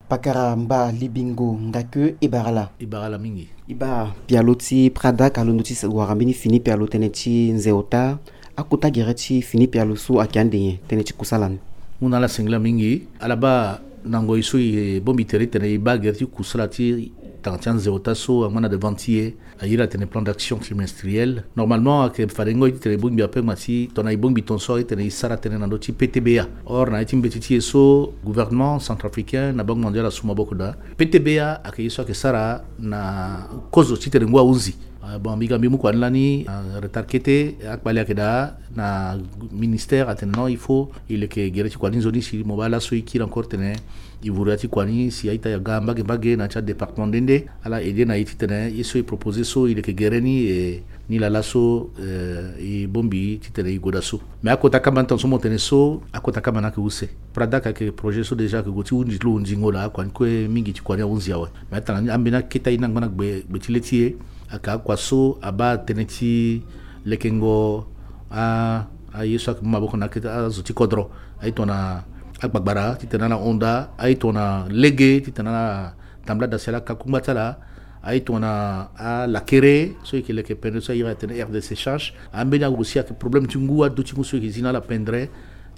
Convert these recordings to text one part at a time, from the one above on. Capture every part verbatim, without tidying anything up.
Pakara mba libingo, nga ke e bara ala. E bara ala mingi. E baa pialo ti Pradak alondo ti wara mbeni fini pialo tënë ti nze ota. Akota gere ti fini pialo so ayeke ande nyen tënë ti kusala ni? Mu na ala singila mingi. Ala baa na ngoi so e bongbi tere titene e baa gere ti kusala ti tanga ti anze ota so angba na devant ti e. A iri atene plan d'action trimestriel. Normalement ayeke fade ngoi titene e bongbi ape, ma si tongana e bongbi tongaso ayeke titene e sara tënë na ndö ti P T B A. Or na ya ti mbeti ti e so, gouvernement centrafricain na Banque mondiale asu maboko daa. P T B A ayeke ye so ayeke sara na kozo titene ngu ahunzi. Ah, bon, mbi ga mbi mu kua ni lani, ah, retard kete, akpali ayeke daa na ministère atene non, il faut e leke gere ti kua ni nzoni si mo baa laso e kiri encore titene e vuru ya ti kua ni si a-ita aga mbage mbage na ya ti adépartement nde nde. Ala aidé na e titene ye so e proposé so e leke gere ni, e ni laa laso, eh, e bongbi titene e gue daa so. Mais akota kamba ni tongaso mo tene so, akota kamba ni ayeke use. Pradak ayeke projet so déjà ayeke gue ti hunzi ti lo hunzingo laa, akua ni kue mingi ti kua ni ahunzi awe. Mais atanga ni ambeni akete aye ni angba na gbe, gbe ti le ti e. Ayeke akua so abaa tënë ti lekengo a, aye so ayeke mu maboko na akete azo ti kodro. Aye tongana agbagbara titene ala hon daa, aye tongana lege titene ala tambula daa si ala ka kungba ti ala, aye tongana alakere so e yeke leke pendre so a iri atene aire de séchage. Ambeni ague si ayeke problème ti ngu, aduti ngu so e yeke zi na ala pendre.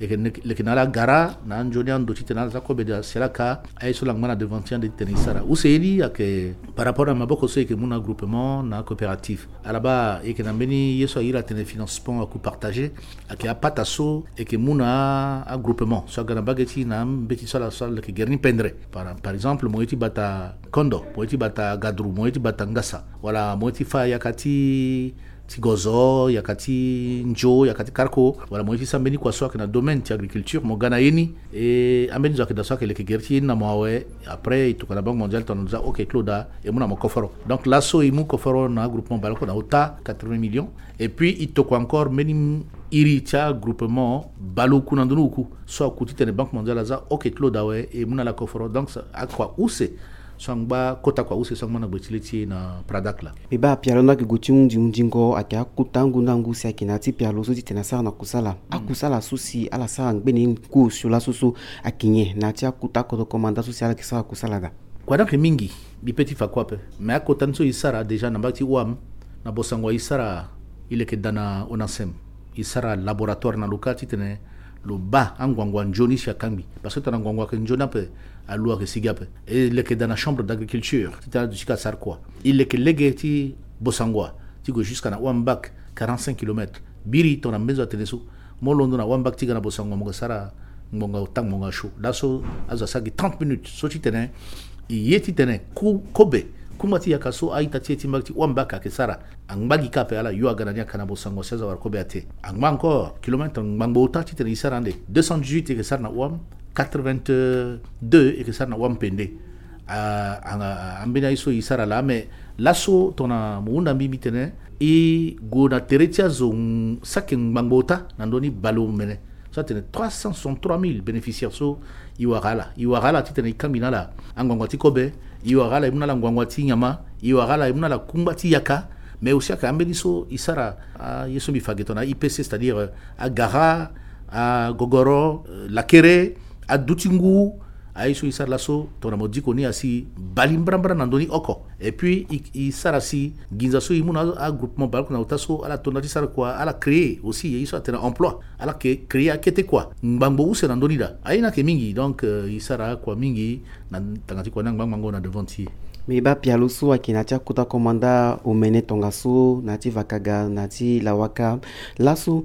E yeke leke na ala gara na anzoni ando titene ala za kobe daa si ala ka aye so ala ngba na devant ti ande titene e sara. Use ye ni ayeke par rapport na maboko so e yeke mu na agroupement na acoopérative. Ala baa e yeke na mbeni ye so a iri atene financement à coût partagé. Ayeke apata so e yeke mu na agroupement so aga na mbage ti e na mbeti so ala so ala leke gere ni pendre. Par, par exemple, mo ye ti bata Kondo, mo ye ti bata Gadru, mo ye ti bata Ngasa, wala mo ye ti fâ yaka ti, ti Gozo, yaka ti Nzo, yaka ti Karko, wala mo ye ti sara mbeni kua so ayeke na domaine ti agriculture, mo ga na ye ni. E ambeni zo ayeke daa so ayeke leke gere ti ye ni na mo awe. Après e tokua na Banque mondiale tongana lo za oke ti lo daa, e mu na mo koforo. Donc laso e mu koforo na agroupement baleoko na ota quatre-vingts millions. Et puis e tokua encore mbeni iri ti agroupement baleoku na ndö ni oku so aku titene Banque mondiale aza oke ti lo daa awe, e mu na ala koforo. Donc akua use so angba, kota kua use so angba na gbe ti le ti e na Pradak laa. Mbi baa pialo ni ayeke gue ti hunzi hunzingo, ayeke akota ngu na ngu si ayeke na ya ti pialo so titene asara na kusala. Akusala so si ala sara ngbene ni ngu osio laso so ayeke nyen? Na ya ti akota kodro komanda so si ala yeke sara kusala daa? Kua ni ayeke mingi, mbi pe ti fa kue ape. Mais akota ni so e sara déjà na mbage ti Ouam, na Bossangoa e sara, e leke daa na ONACEM. E sara laboratoire na lo kâ titene lo baa anguangu anzoni si akangbi. Parce que tongana nguangu ayeke nzoni ape, alu ayeke sigi ape. E leke daa na chambre d'agriculture titene aduti ka sara kua. E leke lege ti Bossangoa ti gue jusqu'à na Ouam Bac, quarante-cinq kilomètres. Biri tongana mbeni zo atene so, mo londo na Ouam Bac ti ga na Bossangoa mo yeke sara ngbonga ota ngbonga sio. Laso azo asara gi trente minutes so titene e ye titene ku, kobe, kungba ti yaka so a-ita ti e ti mbage ti Ouam Bac ayeke sara, angba gi kâ ape. Ala yo aga na ni aka na Bossangoa si azo awara kobe ate. Angba encore kilomètre ngbangbo ota titene e sara ande. Deux cent dix-huit e yeke sara na Ouam, quatre-vingt-deux e yeke sara na Ouam Pende. A, a, a, ambeni aye so e sara laa. Mais laso tongana mo hunda mbi, mbi tene e gue na tere ti azo, mm, saki ngbangbo ota na ndö ni baleomene. So atene trois cent soixante-trois mille bénéficiaires so e wara ala. E wara ala titene e kangbi na ala anguangu ti kobe. E wara ala e mu na ala nguangu ti nyama. E wara ala e mu na ala kungba ti yaka. Mais aussi ayeke ambeni so e sara, ah, ye so mbi fa ge tongana I P C, c'est-à-dire, euh, agara, agogoro, euh, lakere, aduti ngu, aye so e sara laso tongana mo diko ni asi bali mbrambra na ndö ni oko. Et puis e, e sara si nginza so e mu na agroupement baleoko na ota so ala to nda ti sara kua, ala créer aussi ye so atene emploi. Ala yeke créer akete kua ngbangbo use na ndö ni daa. Aye ni ayeke mingi, donc, euh, e sara akua mingi na tanga ti kua ni angba angbango na devant ti e. Mais e baa pialo so ayeke na ya ti akota komanda omene tongaso, na ya ti Vakaga, na ya ti Lawaka. Laso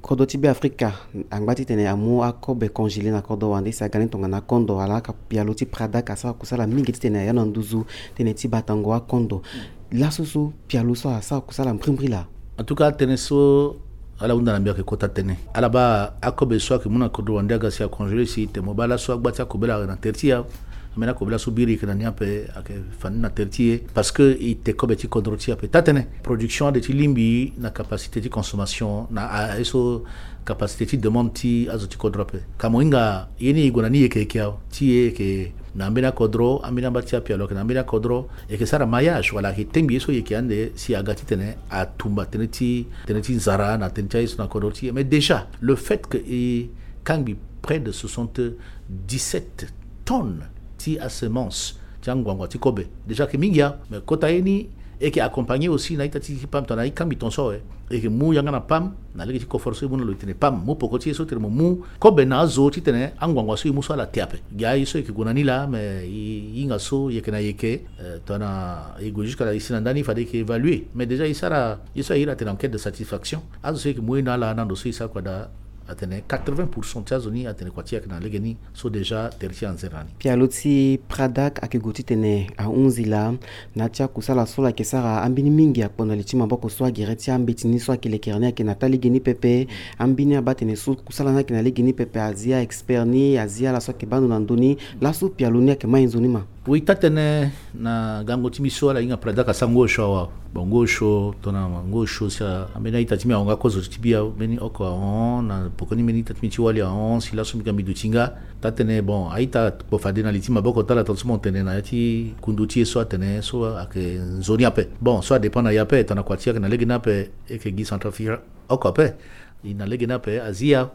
kodro ti Beafrika angba titene amu akobe congelé na kodro wande si aga ni tongana akondo. Ala yaka pialo ti Pradak asara kusala mingi titene aya na nduzu tënë ti batango akondo. Laso so pialo so asara kusala mbrimbri laa? En tout cas tënë so ala hunda na mbi ayeke kota tënë. Ala baa akobe so ayeke mu na kodro wande aga si acongelé si tene mo baa laso agba ti akobela na tere ti e. Ambeni akobela so biri e yeke na ni ape ayeke fani na tere ti e. Parce que e te kobe ti kodro ti e ape. Taa-tënë, production ade ti lingbi na capacité ti consommation na, a, aye so capacité ti demande ti azo ti kodro ape. Ka mo hinga ye ni e gue na ni yeke yeke awe. Ti e yeke na ambeni akodro, ambeni amba ti apialo ayeke na ambeni akodro. E yeke sara maillage wala ayeke tengbi ye so e yeke ande si aga titene atumba tënë ti, tënë ti nzara na tënë ti aye so na kodro ti e. Mais déjà le fait que e kangbi près de soixante-dix-sept tonnes ti asemence ti anguangua ti kobe. Déjà ayeke mingi ya, mais kota ye ni e yeke accompagner aussi na ita ti ti pam tongana e kambi tonso awe. E yeke mu yanga na pam na lege ti koforo so e mu na lo e tene pam mu poko ti e so tene mo mu kobe na azo titene anguangua so e mu so ala te ape. Gi aye so e yeke gue na ni laa, mais e hinga so e yeke na e yeke, eh, tongana e gue jusque là e si na ndani fade e yeke évaluer. Mais déjà e sara ye so a iri atene enquête de satisfaction. Azo so e yeke mu ye na ala na ndo so e sara kua daa, atene quatre-vingts pour cent ti azo ni atene kua ti e ayeke na lege ni. So déjà tere ti e anzere na ni. Pialo ti Pradak ayeke gue titene ahunzi laa na ya ti akusala so lo yeke sara ambeni mingi akpo na li ti maboko so agere ti ambeti ni so ayeke lekere ni ayeke na taa lege ni pepe. Ambeni abaa tene so kusala ni ayeke na lege ni pepe, azi a-expert ni, azi ala so ayeke baa ndo na ndö ni. Laso pialo ni ayeke mai nzoni ma? Oui, taa tënë na gango ti mbi so ala hinga Pradak asara ngu osio awe. Bon, ngu osio tongana ngu osio si a, ambeni a-ita ti mbi ahon nga kozo ti mbi awe, mbeni oko ahon, na poko ni mbeni ita ti mbi ti wali ahon si laso mbi ga mbi duti nga. Taa tënë, bon, a-ita kpo fade na li ti maboko ti ala tongaso mo tene na ya ti kundu ti e so atene so ayeke nzoni ape. Bon, so adépend na e ape, tongana kua ti e ayeke na lege ni ape, e yeke gi Centrafrique oko ape. E na lege ni ape, azi ya.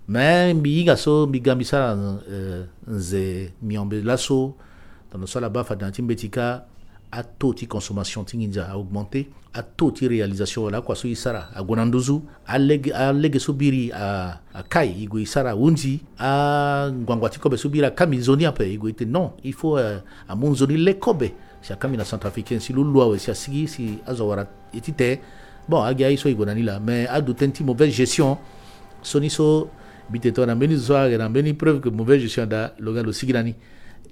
Mais mbi hinga so mbi ga mbi sara, eh, nze miombe laso, tongana so ala baa fade na ya ti mbeti kâ, ataux ti consommation ti nginza a-augmenter, ataux ti réalisation wala akua so e sara ague na nduzu, alege, alege so biri a, akai, e gue e sara ahunzi, anguangua ti kobe so biri akambi nzoni ape, e gue e tene non, il faut, eh, amu nzoni le kobe si akambi na Centrafricain si lo lu awe si asigi si azo awara e ti te. Bon, agi aye so e gue na ni laa, mais adu tënë ti mauvaise gestion. So ni so mbi tene tongana mbeni zo so ayeke na mbeni preuve que mauvaise gestion ada, lo ga lo sigi na ni.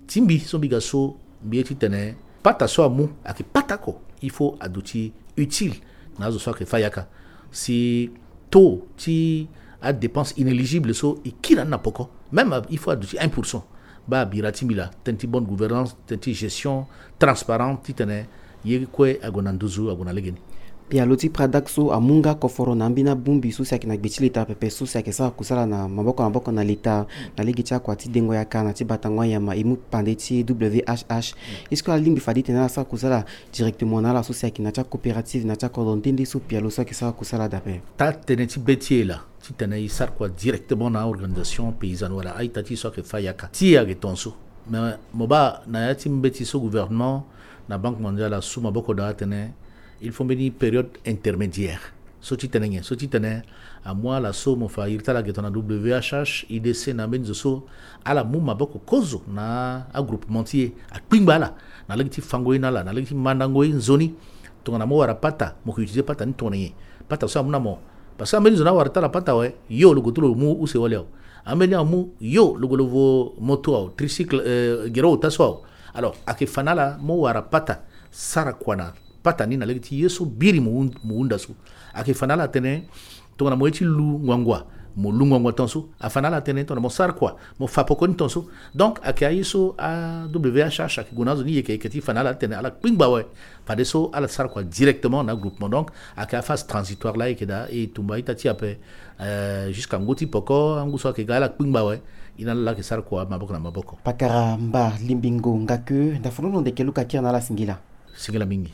Ti mbi so mbi ga so, mbi ye titene pata so amu ayeke pata oko, il faut aduti utile na azo so ayeke fâ yaka. Si taux ti adépense inéligible so e kiri na ni na poko, même il faut aduti un pour cent. Baa bira ti mbi laa, tënë ti bonne gouvernance, tënë ti gestion transparente, titene ye kue ague na nduzu, ague na lege ni. Pialo ti Pradak so amu nga koforo na ambeni abongbi so si ayeke na gbe ti leta pepe so si ayeke sara kusala na maboko na maboko na leta na lege ti akua ti dengo yaka na ti batango anyama, e mu pande ti W H H. Est-ce que alingbi fade titene ala sara kusala directement na ala so si ayeke na ya ti acoopérative, na ya ti akodro nde nde so pialo so ayeke sara kusala daa ape? Taa tënë ti be ti e laa, titene e sara kua directement na a-organisation paysanne wala a-ita ti e so ayeke fâ yaka. Ti e ayeke tongaso. Mais mo baa na ya ti mbeti so gouvernement na Banque mondiale asu maboko daa atene il faut mbeni période intermédiaire. So ti tene nyen? So ti tene amu ala so mo fa iri ti ala ge tongana W H H, I D C na mbeni zo so ala mu maboko kozo na agroupement ti e, akpingba ala na lege ti fango ye na ala, na lege ti mandango ye nzoni. Tongana mo wara pata, mo ke utiliser pata ni tongana nyen? Pata so amu na mo. Parce que ambeni zo ni awara ti ala pata awe, yo lo gue ti lo mu use wali awe. Ambeni amu, yo lo gue lo vo moto awe, tricycle, eh, gere ota so awe. Alors ayeke fa na ala mo wara pata, sara kua na pata ni na lege ti ye so biri mo hun-, mo hunda so. Ayeke fa na ala atene tongana mo ye ti lu nguangua, mo lu nguangua tongaso. Afa na ala atene tongana mo sara kua, mo fa poko ni tongaso. Donc ayeke aye so a-W H H ayeke gue na azo ni yeke yeke ti fa na ala atene ala kpingba awe. Fadeso ala sara kua directement na groupement. Donc ayeke aphase transitoire laa ayeke daa, e tumba a-ita ti e ape, eh, jusqu'à ngu ti poko, angu so ayeke ga ala kpingba awe. E na ala laa ayeke sara kua maboko na maboko. Pakara Mba Limbingo Ngakeu, ndafolondo ndeke luka kiri na ala singila. Singila mingi.